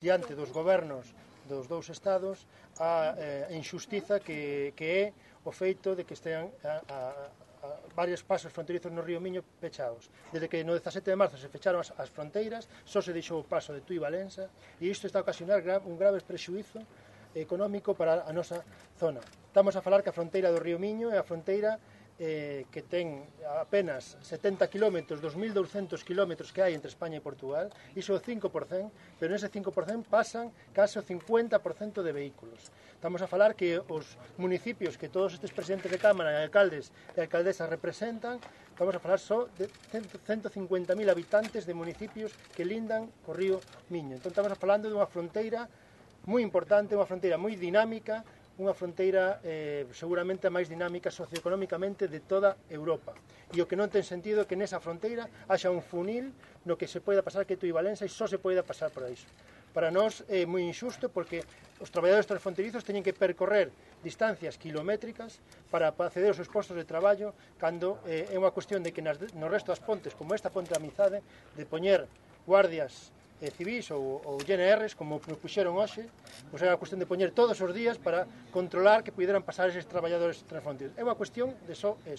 diante dos gobernos dos dous estados a injustiza que é o feito de que estean varios pasos fronterizos no río Miño pechados. Desde que no 17 de marzo se fecharon as fronteiras, só se deixou o paso de Tui Valença, e isto está a ocasionar un grave prexuízo económico para a nosa zona. Estamos a falar que a fronteira do río Miño é a fronteira que ten apenas 70 km dos 1.200 km que hai entre España e Portugal, iso é o 5%, pero nese 5% pasan case o 50% de vehículos. Estamos a falar que os municipios que todos estes presidentes de Cámara, alcaldes e alcaldesas representan, estamos a falar só de 150.000 habitantes de municipios que lindan co río Miño. Entón estamos falando dunha fronteira moi importante, unha fronteira moi dinámica, unha fronteira seguramente a máis dinámica socioeconómicamente de toda Europa. E o que non ten sentido é que nesa fronteira haxa un funil no que se poida pasar que Tui Valença e só se poida pasar por iso. Para nós é moi injusto porque os traballadores transfronterizos teñen que percorrer distancias kilométricas para acceder aos seus postos de traballo cando é unha cuestión de que no resto das pontes, como esta ponte da Amizade, de poñer guardias civis ou GNRs, como nos puxeron hoxe, pois é a cuestión de poñer todos os días para controlar que puderan pasar eses traballadores transfronterizos. É unha cuestión de só eso.